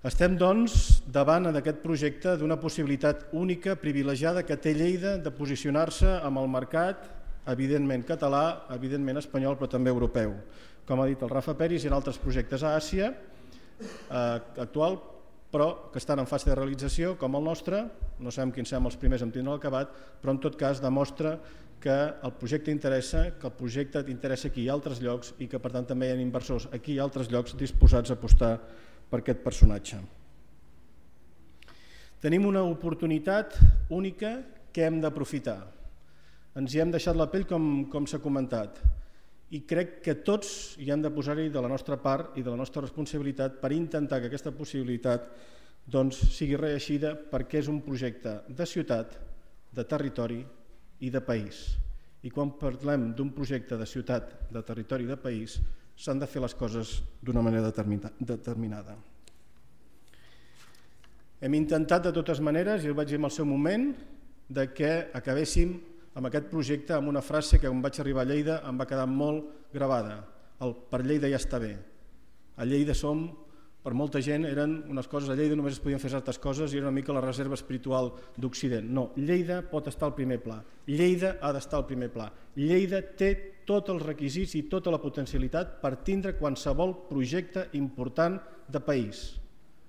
Estem, doncs, davant d'aquest projecte d'una possibilitat única, privilegiada, que té Lleida de posicionar-se amb el mercat, evidentment català, evidentment espanyol, però també europeu. Com ha dit el Rafa Peris, hi ha altres projectes a Àsia actual, però que estan en fase de realització, com el nostre. No sabem quins serem els primers en tindre acabat, però en tot cas demostra que el projecte interessa, que el projecte interessa aquí i altres llocs i que per tant també hi ha inversors aquí i altres llocs disposats a apostar per aquest personatge. Tenim una oportunitat única que hem d'aprofitar. Ens hi hem deixat la pell, com s'ha comentat, i crec que tots hi hem de posar-hi de la nostra part i de la nostra responsabilitat per intentar que aquesta possibilitat sigui reeixida, perquè és un projecte de ciutat, de territori i de país. I quan parlem d'un projecte de ciutat, de territori i de país, s'han de fer les coses d'una manera determinada. Hem intentat de totes maneres, i ho vaig dir en el seu moment, que acabéssim amb aquest projecte amb una frase que quan vaig arribar a Lleida em va quedar molt gravada: el "per Lleida ja està bé". A Lleida som, per molta gent, eren unes coses, a Lleida només es podien fer certes coses i era una mica la reserva espiritual d'Occident. No, Lleida pot estar al primer pla, Lleida ha d'estar al primer pla. Lleida té tots els requisits i tota la potencialitat per tindre qualsevol projecte important de país,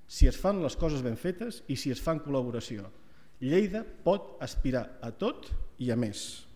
si es fan les coses ben fetes i si es fa en col·laboració. Lleida pot aspirar a tot i a més.